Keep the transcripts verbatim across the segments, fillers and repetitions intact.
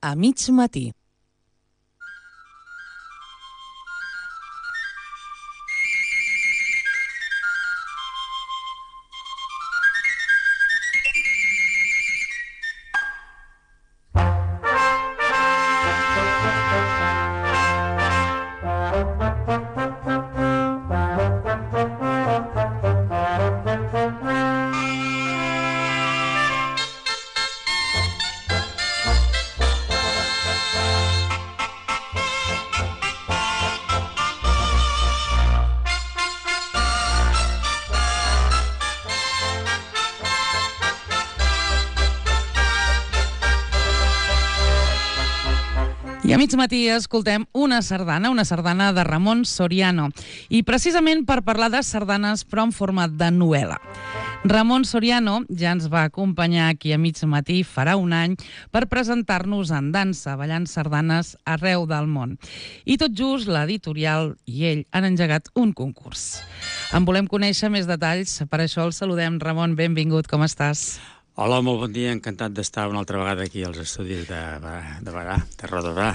A mig matí. I a mig matí escoltem una sardana, una sardana de Ramon Soriano, i precisament per parlar de sardanes però en format de novel·la. Ramon Soriano ja ens va acompanyar aquí a mig matí farà un any per presentar-nos en dansa, ballant sardanes arreu del món. I tot just l'editorial i ell han engegat un concurs. En volem conèixer més detalls, per això el saludem. Ramon, benvingut, com estàs? Hola, molt bon dia, encantat d'estar una altra vegada aquí als estudis de, de Berà, de Roda de Berà.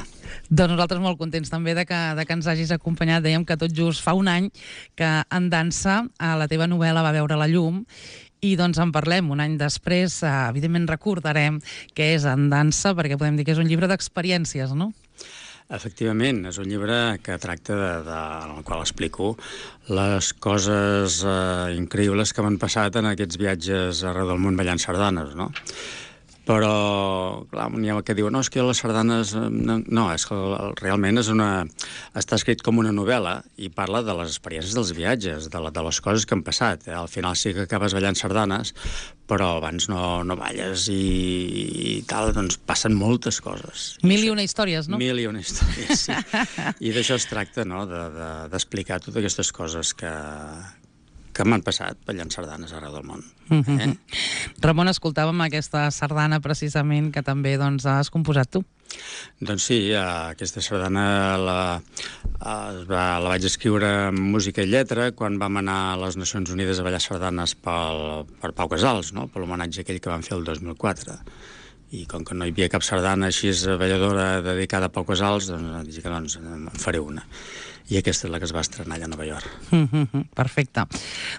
Doncs nosaltres molt contents també de que, de que ens hagis acompanyat. Dèiem que tot just fa un any que en dansa la teva novel·la va veure la llum i doncs en parlem un any després. Evidentment recordarem què és En dansa, perquè podem dir que és un llibre d'experiències, no? Efectivament, és un llibre que tracta de, de, en el qual explico les coses eh, increïbles que m'han passat en aquests viatges arreu del món ballant sardanes, no? Però, clar, n'hi ha que diuen, no, és que les sardanes... No, no, és que realment és una... està escrit com una novel·la i parla de les experiències dels viatges, de, la, de les coses que han passat. Al final sí que acabes ballant sardanes, però abans no, no balles i, i tal, doncs passen moltes coses. Mil i una històries, no? Mil i una històries, sí. I d'això es tracta, no?, d'explicar de, de, totes aquestes coses que... que m'han passat ballant sardanes arreu del món. Mm-hmm. eh? Ramon, escoltàvem aquesta sardana precisament que també doncs, has composat tu. Doncs sí, aquesta sardana la, va, la vaig escriure amb música i lletra quan vam anar a les Nacions Unides a ballar sardanes pel, per Pau Casals, no?, per l'homenatge aquell que vam fer el dos mil quatre. I com que no hi havia cap sardana així balladora dedicada a Pau Casals, doncs dic que doncs, en faré una. I aquesta és la que es va estrenar allà a Nova York. Mm-hmm, perfecte.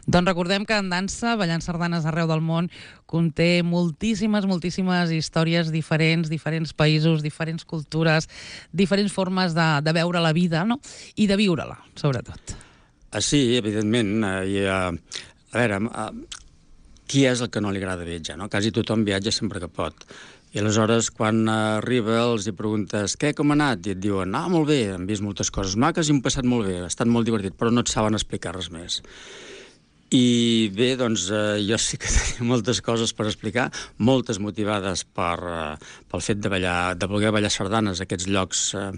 Doncs recordem que En dansa, ballant sardanes arreu del món, conté moltíssimes, moltíssimes històries diferents, diferents països, diferents cultures, diferents formes de, de veure la vida, no?, i de viure-la, sobretot. Ah, sí, evidentment. I, uh, a veure, uh, qui és el que no li agrada viatjar, no? Quasi tothom viatja sempre que pot. I aleshores, quan arriba, els hi preguntes què, com ha anat? I et diuen, ah, molt bé, hem vist moltes coses maques i hem passat molt bé, ha estat molt divertit, però no et saben explicar res més. I bé, doncs, eh, jo sí que tenia moltes coses per explicar, moltes motivades per, eh, pel fet de, ballar, de voler ballar sardanes a aquests llocs eh,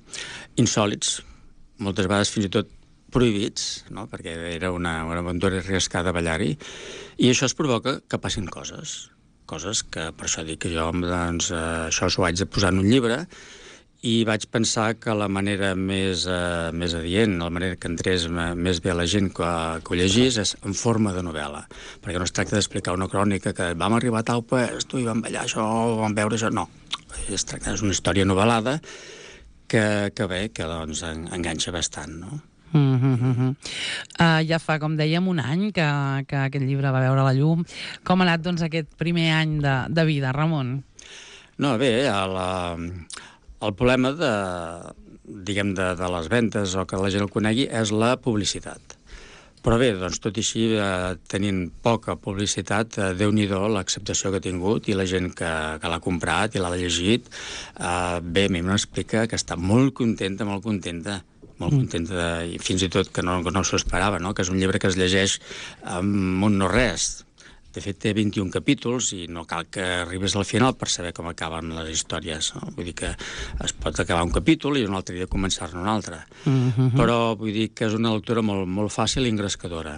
insòlits, moltes vegades fins i tot prohibits, no?, perquè era una, una aventura arriscada ballar-hi, i això es provoca que passin coses. coses que, per això dic que jo, doncs, eh, això s'ho vaig de posar en un llibre i vaig pensar que la manera més, eh, més adient, la manera que entrés més bé a la gent que, que ho llegís és en forma de novel·la, perquè no es tracta d'explicar una crònica que vam arribar a tal puesto i vam ballar això, vam veure això, no. Es tracta, és una història novel·lada que, que bé, que doncs enganxa bastant, no? Mm-hmm. Uh, ja fa, com dèiem, un any que, que aquest llibre va veure la llum. Com ha anat, doncs, aquest primer any de, de vida, Ramon? No, bé, el, el problema de, diguem, de, de les ventes o que la gent el conegui és la publicitat. Però bé, doncs, tot i així, eh, tenint poca publicitat, eh, Déu-n'hi-do l'acceptació que ha tingut i la gent que, que l'ha comprat i l'ha llegit, eh, bé, a mi m'explica que està molt contenta, molt contenta. molt contenta, de, i fins i tot que no, no s'ho esperava, no?, que és un llibre que es llegeix amb un no-res. De fet, té vint-i-un capítols i no cal que arribes al final per saber com acaben les històries, no? Vull dir que es pot acabar un capítol i un altre dia començar-ne un altre. Mm-hmm. Però vull dir que és una lectura molt, molt fàcil i engrescadora.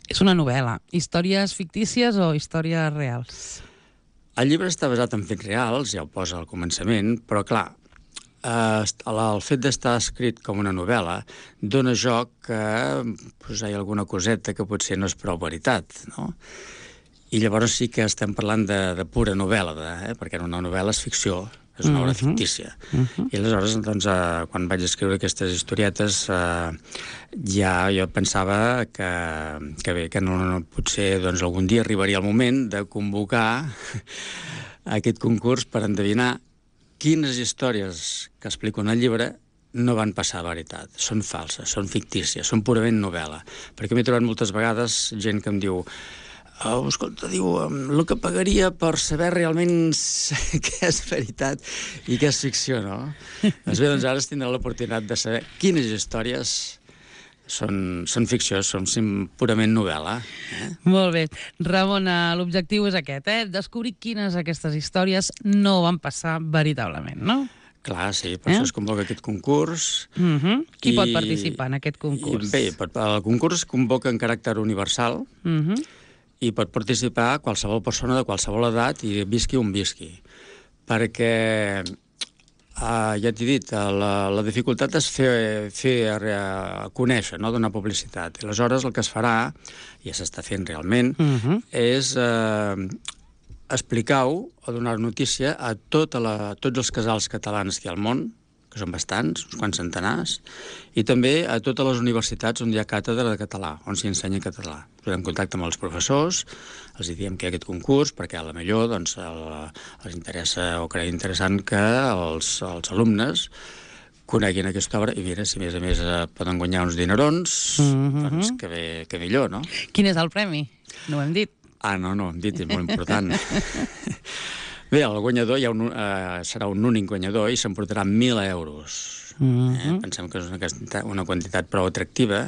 És una novel·la. Històries fictícies o històries reals? El llibre està basat en fets reals, ja ho posa al començament, però clar, Uh, el fet d'estar escrit com una novel·la dona joc que pues, hi ha alguna coseta que potser no és prou veritat, no? I llavors sí que estem parlant de, de pura novel·la, de, eh? perquè una novel·la és ficció, és una obra fictícia. Uh-huh. I aleshores, doncs, eh, quan vaig escriure aquestes historietes, eh, ja jo pensava que, que bé, que no, no, potser doncs, algun dia arribaria el moment de convocar aquest concurs per endevinar quines històries que explico en el llibre no van passar a veritat, són falses, són fictícies, són purament novel·la. Perquè m'he trobat moltes vegades gent que em diu oh, escolta, diu, el que pagaria per saber realment què és veritat i què és ficció, no? Doncs bé, doncs ara es tindrà l'oportunitat de saber quines històries són, són ficció, són purament novel·la. Eh? Molt bé. Ramon, l'objectiu és aquest, eh? Descobrir quines d'aquestes històries no van passar veritablement, no? Clar, sí, per eh? això es convoca aquest concurs. Uh-huh. Qui i, pot participar en aquest concurs? I, bé, el concurs es convoca en caràcter universal uh-huh. i pot participar qualsevol persona de qualsevol edat i visqui on visqui. Perquè, uh, ja t'he dit, la, la dificultat és fer, fer uh, conèixer, no? Donar publicitat. I aleshores el que es farà, i ja s'està fent realment, uh-huh. és uh, explicar-ho o donar notícia a, tota la, a tots els casals catalans que hi ha al món, que són bastants, uns quants centenars, i també a totes les universitats on hi ha càtedra de català, on s'hi ensenya català. Posem en contacte amb els professors, els diem que hi ha aquest concurs, perquè a la millor doncs, el, els interessa o creiem interessant que els, els alumnes coneguin aquesta obra i mira, si a més a més eh, poden guanyar uns dinerons, mm-hmm. doncs que, bé, que millor, no? Quin és el premi? No ho hem dit. Ah, no, no, hem dit, és molt important. Bé, el guanyador hi ha un, uh, serà un únic guanyador i s'emportarà mil euros. Mm-hmm. eh? Pensem que és una quantitat, una quantitat prou atractiva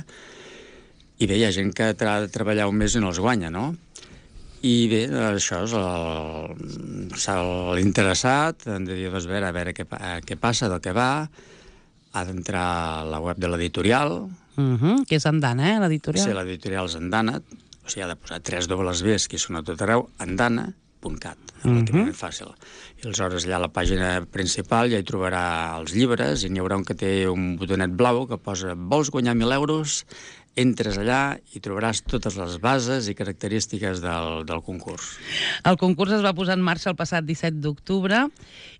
i bé, hi ha gent que ha de treballar un mes i no els guanya, no? I bé, això és l'interessat, han de dir, doncs, a veure, a veure què, què passa, del que va, ha d'entrar a la web de l'editorial. Mm-hmm. Que és Andana, eh, l'editorial? Sí, l'editorial és Andana, o sigui, ha de posar tres dobles Bs, que són a tot arreu, andana punt cat, relativament fàcil. I aleshores allà a la pàgina principal ja hi trobarà els llibres i n'hi haurà un que té un botonet blau que posa vols guanyar mil euros, entres allà i trobaràs totes les bases i característiques del, del concurs. El concurs es va posar en marxa el passat disset d'octubre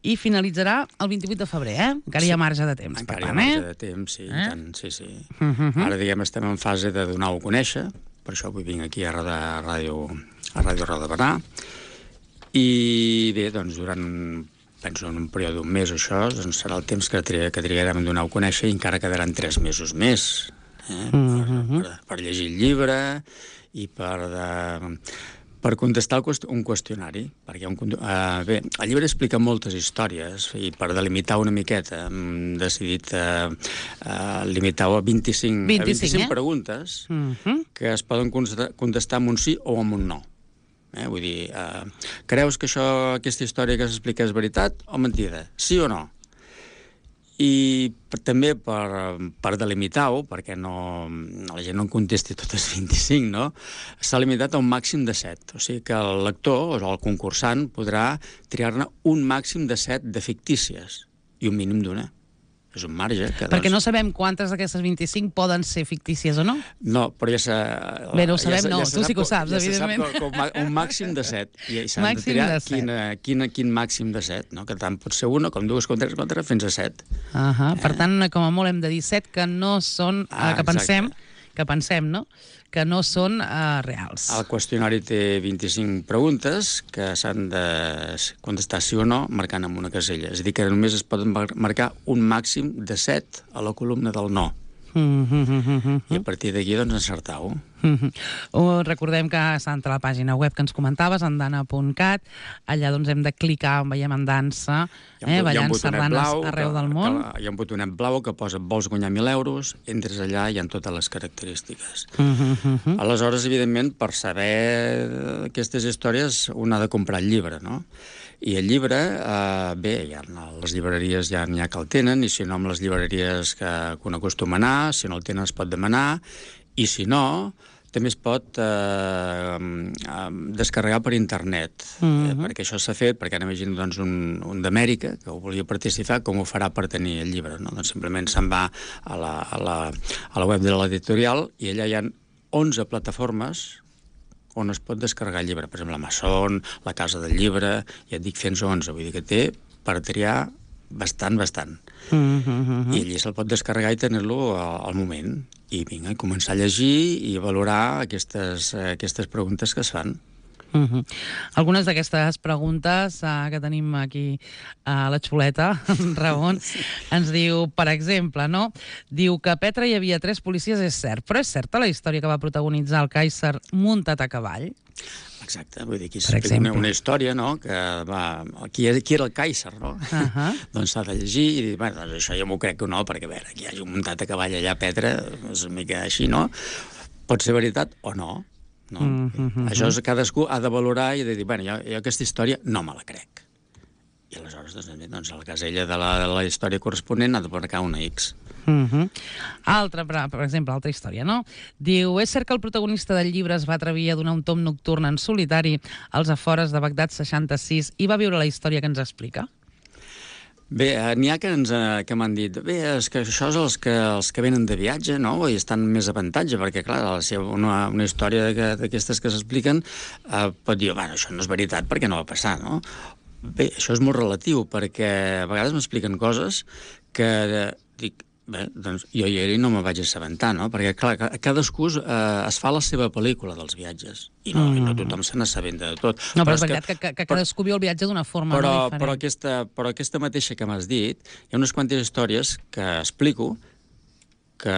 i finalitzarà el vint-i-vuit de febrer, eh? Encara sí. Hi ha marge de temps. Encara per hi ha marge eh? de temps, sí, eh? tant, sí, sí. Uh-huh. Ara, diguem, estem en fase de donar-ho a conèixer, per això avui vinc aquí a Ràdio, a Ràdio Roda de Barà. I bé, doncs, durant, penso, en un període d'un mes o això, doncs serà el temps que, tri que trigarem a donar-ho a conèixer i encara quedaran tres mesos més eh? per, per, per llegir el llibre i per, de, per contestar un qüestionari. Perquè un, uh, bé, el llibre explica moltes històries i per delimitar una miqueta hem decidit uh, uh, limitar-ho a vint-i-cinc, vint-i-cinc, a vint-i-cinc eh? preguntes uh-huh. que es poden contestar amb un sí o amb un no. Eh? Vull dir, eh, creus que això, aquesta història que s'explica és veritat o mentida? Sí o no? I per, també per, per delimitar-ho, perquè no, la gent no en contesti totes vint-i-cinc, no? S'ha limitat a un màxim de set. O sigui que el lector, o el concursant, podrà triar-ne un màxim de set de fictícies i un mínim d'una. És un marge. Que, perquè doncs... no sabem quantes d'aquestes vint-i-cinc poden ser fictícies o no? No, però ja s'ha... Bé, no ho sabem, ja no, ja tu sí que ho saps, ja evidentment. Ja se sap que, que un màxim de set. I s'han de triar quin, quin, quin màxim de set, no? Que tant pot ser una, com dues, com tres, com tres, fins a set. Uh -huh. eh? Per tant, com a molt hem de dir set que no són... Ah, que pensem, que pensem, no? Que no són uh, reals. El qüestionari té vint-i-cinc preguntes que s'han de contestar sí o no marcant amb una casella. És a dir, que només es poden marcar un màxim de set a la columna del no. Mm -hmm. I a partir d'aquí, doncs, encertar-ho. Mm -hmm. Recordem que s'ha entrat a la pàgina web que ens comentaves, andana punt cat. Allà doncs hem de clicar on veiem en dansa, eh, ballant sardanes arreu que, del món. Que, hi ha un botonet blau que posa vols guanyar mil euros, entres allà i hi ha totes les característiques. Mm -hmm. Aleshores, evidentment, per saber aquestes històries un ha de comprar el llibre, no? I el llibre, eh, bé, ja, a les llibreries ja n'hi ha que el tenen, i si no, amb les llibreries que, que un acostuma a anar, si no el tenen es pot demanar, i si no, també es pot eh, descarregar per internet, mm-hmm. eh, perquè això s'ha fet, perquè ara imagino doncs, un, un d'Amèrica que volia participar, com ho farà per tenir el llibre, no? Doncs simplement se'n va a la, a, la, a la web de l'editorial i allà hi ha onze plataformes on es pot descarregar el llibre. Per exemple, l'Amazon, la Casa del Llibre, ja et dic fins a onze, vull dir que té per triar bastant, bastant. Mm -hmm. I allí se'l pot descarregar i tenir-lo al moment. I vinga, començar a llegir i valorar aquestes, aquestes preguntes que es fan. Uh -huh. Algunes d'aquestes preguntes uh, que tenim aquí a la xuleta, Ramon, ens diu, per exemple, no? Diu que a Petra hi havia tres policies, és cert, però és certa la història que va protagonitzar el Kaiser muntat a cavall? Exacte, vull dir, aquí s'explica una, una història, no?, que va... Qui, qui era el Kaiser, no? Uh -huh. Doncs s'ha de llegir i dir, bueno, doncs això jo m'ho crec que no, perquè, a veure, que hi hagi un muntat a cavall allà a Petra, és una mica així, no? Pot ser veritat o no. No? Mm -hmm. Això és, cadascú ha de valorar i de dir, bueno, jo, jo aquesta història no me la crec. I aleshores, doncs, doncs a la casella de la, de la història corresponent ha de marcar una X. Mm -hmm. Altra, per, per exemple, altra història, no? Diu, és cert que el protagonista del llibre es va atrevir a donar un tom nocturn en solitari als afores de Bagdad seixanta-sis i va viure la història que ens explica? Bé, eh, n'hi ha que, ens, eh, que m'han dit, bé, és que això és els que, els que venen de viatge, no?, i estan més avantatge, perquè, clar, la seva, una, una història d'aquestes que s'expliquen eh, pot dir, bueno, això no és veritat perquè no va passar, no? Bé, això és molt relatiu, perquè a vegades m'expliquen coses que eh, dic, bé, doncs jo hi era i no me vaig assabentar, no? Perquè, clar, cadascú eh, es fa la seva pel·lícula dels viatges, i no, mm. i no tothom se n'assabenta de tot. No, però, però és veritat que, que, que cadascú viu el viatge d'una forma però, no diferent. Però aquesta, però aquesta mateixa que m'has dit, hi ha unes quantes històries que explico que,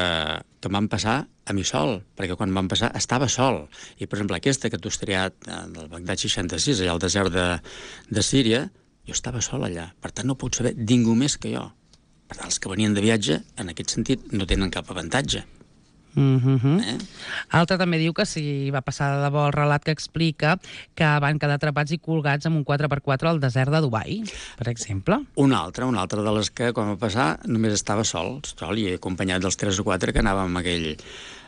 que van passar a mi sol, perquè quan van passar estava sol. I, per exemple, aquesta que tu has triat del Bagdad seixanta-sis, allà al desert de, de Síria, jo estava sol allà. Per tant, no puc saber ningú més que jo. Per tant, els que venien de viatge, en aquest sentit, no tenen cap avantatge. Mm -hmm. eh? Altra també diu que si va passar de debò el relat que explica que van quedar atrapats i colgats amb un quatre per quatre al desert de Dubai, per exemple. Una altra, una altra de les que, quan va passar, només estava sol, sol i acompanyat dels tres o quatre que anàvem amb aquell,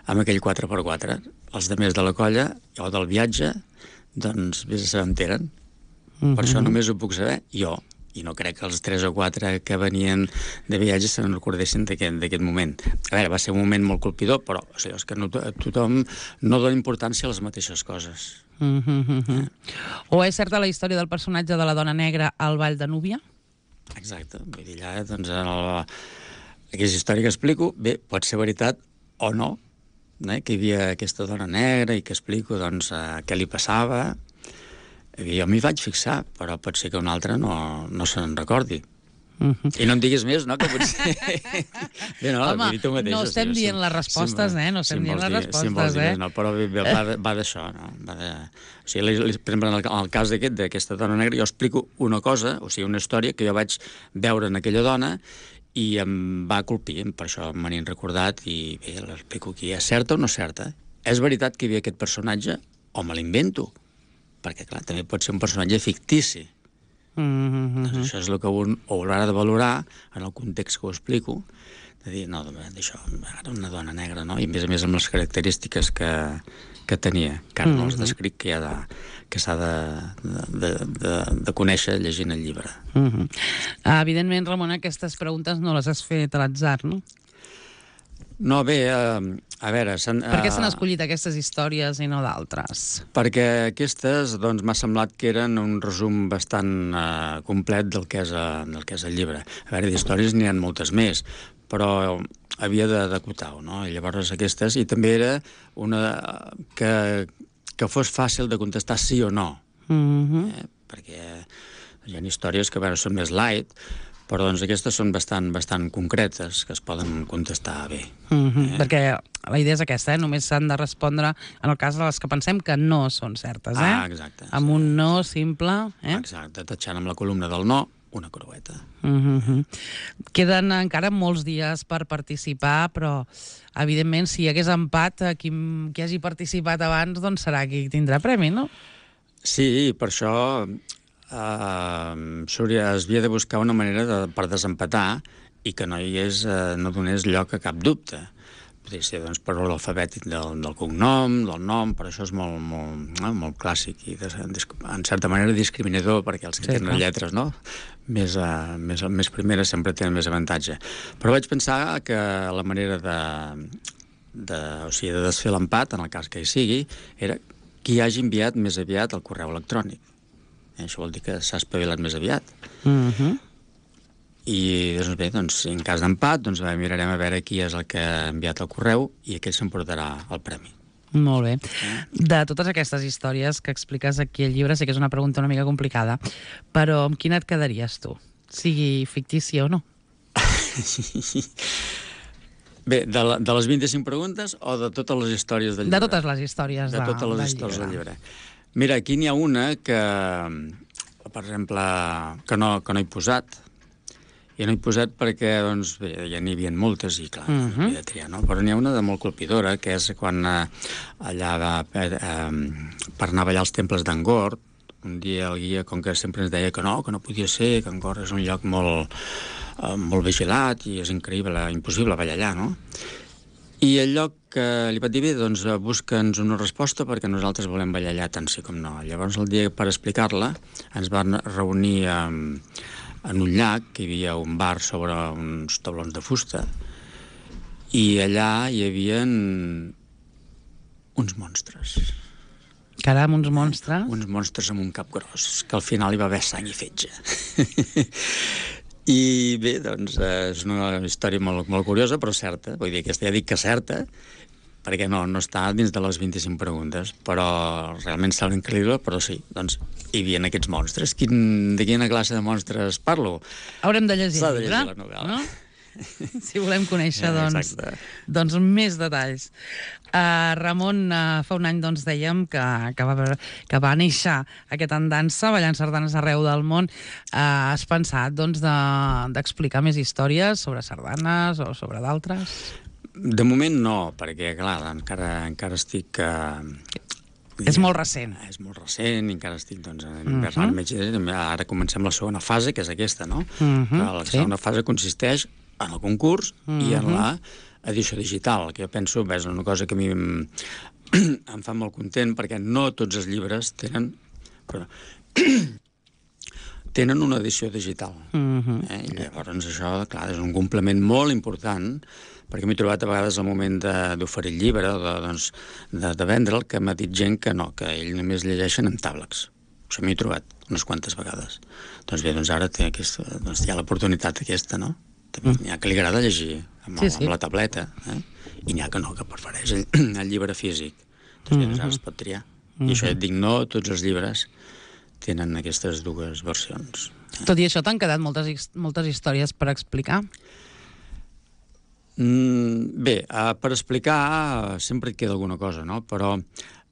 amb aquell quatre per quatre. Els de més de la colla o del viatge, doncs, bé se s'enteren. Mm -hmm. Per això només ho puc saber jo. I no crec que els tres o quatre que venien de viatge se'n recordessin d'aquest moment. A veure, va ser un moment molt colpidor, però o sigui, és que no, tothom no dona importància a les mateixes coses. Mm -hmm. eh? O és certa la història del personatge de la dona negra al Vall de Núbia? Exacte. Vull dir, allà, doncs, el, aquesta història que explico, bé, pot ser veritat o no, eh? Que hi havia aquesta dona negra i que explico, doncs, eh, què li passava. Jo m'hi vaig fixar, però pot ser que un altre no, no se'n recordi. Uh -huh. I no em diguis més, no?, que potser... Bé, no, home, tu mateix, no estem dient si, les respostes, si, eh? No estem si dient les dir, respostes, si eh? Dir, no, però va, va d'això, no? Va de... O sigui, per exemple, en el, en el cas d'aquesta dona negra, jo explico una cosa, o sigui, una història que jo vaig veure en aquella dona i em va colpir, per això me n'he recordat i bé, l'explico aquí. És certa o no certa? És veritat que hi havia aquest personatge o me l'invento? Perquè, clar, també pot ser un personatge fictici. Mm-hmm. Doncs això és el que un haurà de valorar en el context que ho explico, de dir, no, d'això, ara una dona negra, no? I a més a més amb les característiques que, que tenia, que ara mm-hmm. no les descric, que, de, que s'ha de, de, de, de conèixer llegint el llibre. Mm-hmm. Evidentment, Ramon, aquestes preguntes no les has fet a l'atzar, no? No, bé, eh, a veure... Per què s'han escollit aquestes històries i no d'altres? Perquè aquestes, doncs, m'ha semblat que eren un resum bastant eh, complet del que, és, eh, del que és el llibre. A veure, d'històries n'hi ha moltes més, però havia d'acotar-ho, no? I llavors aquestes, i també era una que, que fos fàcil de contestar sí o no. Mm-hmm. eh? Perquè hi ha històries que, a veure, són més light, però doncs aquestes són bastant, bastant concretes, que es poden contestar bé. Mm-hmm. eh? Perquè la idea és aquesta, eh? Només s'han de respondre en el cas de les que pensem que no són certes, eh? Ah, exacte. Amb sí. un no simple, eh? Exacte, tatxant amb la columna del no, una creueta. Mm-hmm. Queden encara molts dies per participar, però evidentment si hi hagués empat, qui, qui hagi participat abans doncs serà qui tindrà premi, no? Sí, per això... Uh, es havia de buscar una manera de, per desempatar i que no hi hagués, uh, no donés lloc a cap dubte. Podria ser doncs, per l'alfabètic del, del cognom, del nom, però això és molt, molt, no? molt clàssic i de, en certa manera discriminador, perquè els que sí, tenen clar. lletres no? més, uh, més, més primeres sempre tenen més avantatge. Però vaig pensar que la manera de, de, o sigui, de desfer l'empat, en el cas que hi sigui, era qui hagi enviat més aviat el correu electrònic. Això vol dir que s'ha espavilat més aviat. Mm-hmm. i doncs bé, doncs, en cas d'empat, doncs bé, mirarem a veure qui és el que ha enviat el correu i aquell s'emportarà el premi. Molt bé. De totes aquestes històries que expliques aquí al llibre, sé que és una pregunta una mica complicada, però amb quina et quedaries tu? Sigui fictícia o no? Bé, de, la, de les vint-i-cinc preguntes o de totes les històries del llibre? De totes les històries de, de totes les del històries llibre. del llibre. Mira, aquí n'hi ha una que, per exemple, que no, que no he posat. I no he posat perquè, doncs, bé, ja n'hi havia moltes i, clar, uh -huh. no havia de triar, no? Però n'hi ha una de molt colpidora, que és quan eh, allà va, eh, per anar a ballar als temples d'Angkor, un dia el guia, com que sempre ens deia que no, que no podia ser, que Angkor és un lloc molt, eh, molt vigilat i és increïble, impossible ballar allà, no? I el lloc que li vaig dir, bé, doncs busca'ns una resposta perquè nosaltres volem ballar allà tant sí com no. Llavors, el dia per explicar-la, ens van reunir amb en un llac, que hi havia un bar sobre uns taulons de fusta, i allà hi havia uns monstres. Caram, uns monstres? Uns monstres amb un cap gros, que al final hi va haver sang i fetge. I bé, doncs, és una història molt, molt curiosa, però certa. Vull dir, aquesta ja dic que certa, perquè no, no està dins de les vint-i-cinc preguntes, però realment sembla increïble, però sí, doncs hi havia aquests monstres. Quin, de quina classe de monstres parlo? Haurem de llegir el llibre, llibre, la novel·la. No? Si volem conèixer, doncs, Exacte. doncs més detalls. Uh, Ramon, uh, fa un any doncs, dèiem que, que, va, que va néixer aquest en dansa, ballant sardanes arreu del món. Uh, has pensat doncs, d'explicar de, més històries sobre sardanes o sobre d'altres? De moment no, perquè, clar, encara, encara estic... Uh, és molt recent. És molt recent, i encara estic, doncs, invernant uh -huh. Ara comencem la segona fase, que és aquesta, no? Uh -huh, la segona sí. fase consisteix en el concurs uh -huh. i en la edició digital, que jo penso, és una cosa que a mi em, em fa molt content, perquè no tots els llibres tenen... Perdó, tenen una edició digital. Uh -huh. eh? I llavors això, clar, és un complement molt important, perquè m'he trobat a vegades al moment d'oferir el llibre, de, doncs, de, de vendre'l, que m'ha dit gent que no, que ell només llegeixen en tàblecs. Això m'he trobat unes quantes vegades. Doncs bé, doncs ara té aquesta, doncs hi ha l'oportunitat aquesta, no? També n'hi ha que li agrada llegir amb, el, sí, sí. amb la tableta, eh? I n'hi ha que no, que prefereix el, el llibre físic. Doncs bé, doncs ara es pot triar. I això ja et dic, no tots els llibres tenen aquestes dues versions. Eh? Tot i això, t'han quedat moltes, moltes històries per explicar? Mm, bé, uh, per explicar uh, sempre et queda alguna cosa, no? Però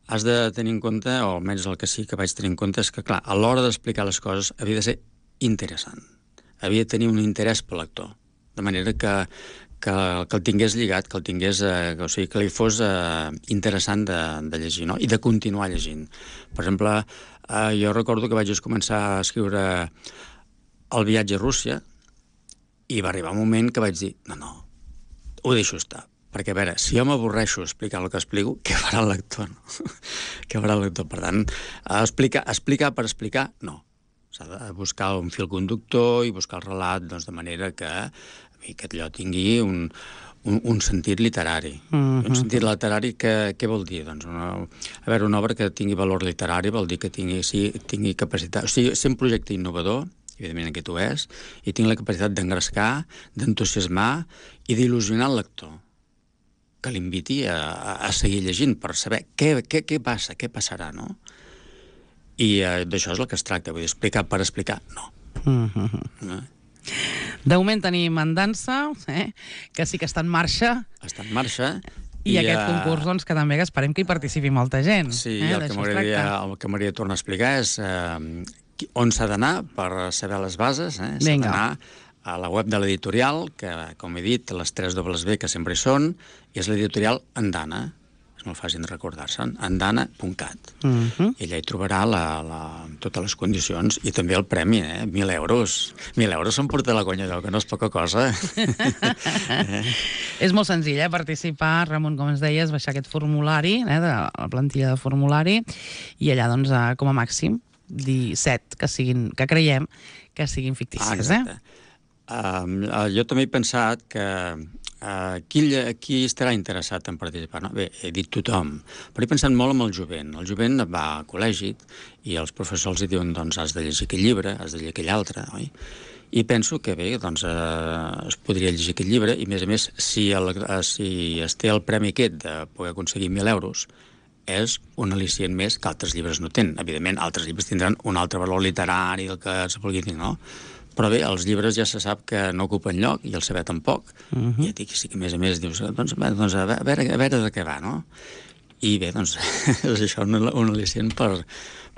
has de tenir en compte, o almenys el que sí que vaig tenir en compte, és que, clar, a l'hora d'explicar les coses havia de ser interessant. Havia de tenir un interès pel lector. De manera que, que, que el tingués lligat, que el tingués, eh, o sigui, que li fos eh, interessant de, de llegir, no? I de continuar llegint. Per exemple, eh, jo recordo que vaig començar a escriure El viatge a Rússia i va arribar un moment que vaig dir, no, no, ho deixo estar. Perquè, a veure, si jo m'avorreixo explicar el que explico, què farà el lector, no? Què farà el lector? Per tant, explicar, explicar per explicar, no. S'ha de buscar un fil conductor i buscar el relat, doncs, de manera que, que allò tingui un, un, un sentit literari. Uh-huh. Un sentit literari, que, què vol dir? Doncs una, a veure, una obra que tingui valor literari vol dir que tingui, sí, tingui capacitat... O sigui, ser un projecte innovador, evidentment aquest ho és, i tinc la capacitat d'engrescar, d'entusiasmar i d'il·lusionar el lector, que l'inviti a, a, a seguir llegint per saber què, què, què passa, què passarà, no? I eh, d'això és el que es tracta, vull dir, explicar per explicar, no. Uh-huh. no? De moment tenim en dansa, eh? Que sí que està en marxa. Està en marxa. I, I aquest uh... concurs, doncs, que també que esperem que hi participi molta gent. Sí, eh? el que m'agradaria tornar a explicar és eh, on s'ha d'anar per saber les bases. Eh? S'ha d'anar a la web de l'editorial, que, com he dit, les tres dobles ve que sempre hi són, i és l'editorial Andana. És molt fàcil de recordar-se'n, andana punt cat. Uh -huh. I allà hi trobarà la, la, totes les condicions i també el premi, eh? Mil euros. Mil euros s'emporta la conya d'ou, que no és poca cosa. eh? És molt senzill, eh? Participar, Ramon, com ens deies, baixar aquest formulari, eh? de la plantilla de formulari, i allà, doncs, com a màxim, disset que siguin, que creiem que siguin fictícies, ah, eh? Uh, jo també he pensat que uh, qui, qui estarà interessat en participar? No? Bé, he dit tothom, però he pensat molt en el jovent. El jovent va a col·legi i els professors li diuen, doncs, has de llegir aquell llibre, has de llegir aquell altre, oi? I penso que bé, doncs eh, es podria llegir aquest llibre, i a més a més, si, el, eh, si es té el premi aquest de poder aconseguir mil euros, és un al·licient més que altres llibres no tenen. Evidentment, altres llibres tindran un altre valor literari del que se vulgui dir, no? Però bé, els llibres ja se sap que no ocupen lloc, i el saber tampoc. Uh -huh. I et dic, sí que a més a més dius, doncs, doncs a, veure, a veure de què va, no? I bé, doncs, és això un, un al·licient per,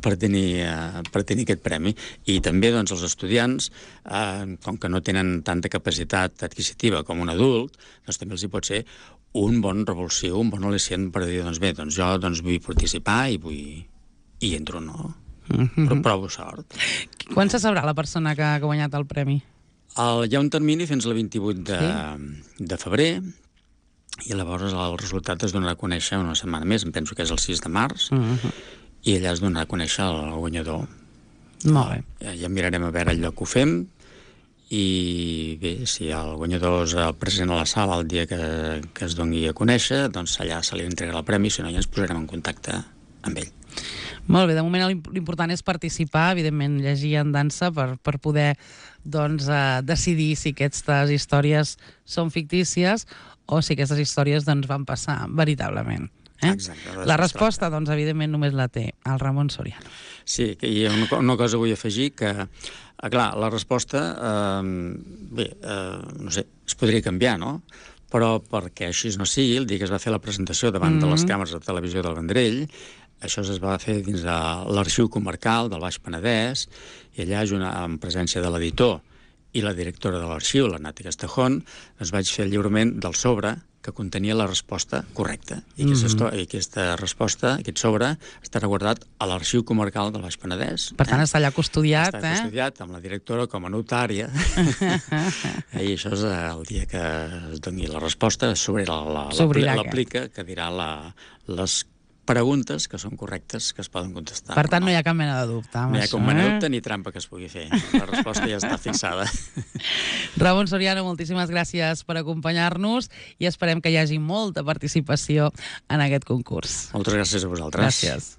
per, tenir, uh, per tenir aquest premi. I també, doncs, els estudiants, uh, com que no tenen tanta capacitat adquisitiva com un adult, doncs també els hi pot ser un bon revulsiu, un bon al·licient per dir, doncs bé, doncs jo doncs, vull participar i vull... i entro, no? Mm-hmm. Però provo sort. Quan se sabrà la persona que ha guanyat el premi? El, hi ha un termini fins al vint-i-vuit de, sí? de febrer, i llavors el resultat es donarà a conèixer una setmana més, em penso que és el sis de març, uh-huh. i allà es donarà a conèixer el guanyador. Molt bé. Ja, ja mirarem a veure el lloc que ho fem, i bé, si el guanyador és el present a la sala el dia que, que es doni a conèixer, doncs allà se li entregarà el premi, si no ja ens posarem en contacte amb ell. Molt bé, de moment l'important és participar, evidentment llegir en dansa per, per poder doncs, eh, decidir si aquestes històries són fictícies o si aquestes històries doncs, van passar veritablement. Eh? Exacte. La resposta, doncs, evidentment, només la té el Ramon Soriano. Sí, i una, una cosa vull afegir, que, clar, la resposta, eh, bé, eh, no sé, es podria canviar, no? Però perquè així no sigui, el dia que es va fer la presentació davant mm-hmm. de les càmeres de televisió del Vendrell, això es va fer dins de l'Arxiu Comarcal del Baix Penedès, i allà, en presència de l'editor i la directora de l'arxiu, la Nati Castejón, es vaig fer el lliurament del sobre que contenia la resposta correcta. I aquesta, mm-hmm. i aquesta resposta, aquest sobre, estarà guardat a l'Arxiu Comarcal del Baix Penedès. Per tant, eh? està allà custodiat, està eh? Està custodiat amb la directora com a notària. I això és el dia que es doni la resposta, s'obrirà l'aplica, que dirà la, les preguntes que són correctes, que es poden contestar. Per tant, no, no hi ha cap mena de dubte. No hi ha cap mena de dubte ni trampa que es pugui fer. La resposta ja està fixada. Ramon Soriano, moltíssimes gràcies per acompanyar-nos i esperem que hi hagi molta participació en aquest concurs. Moltes gràcies a vosaltres. Gràcies.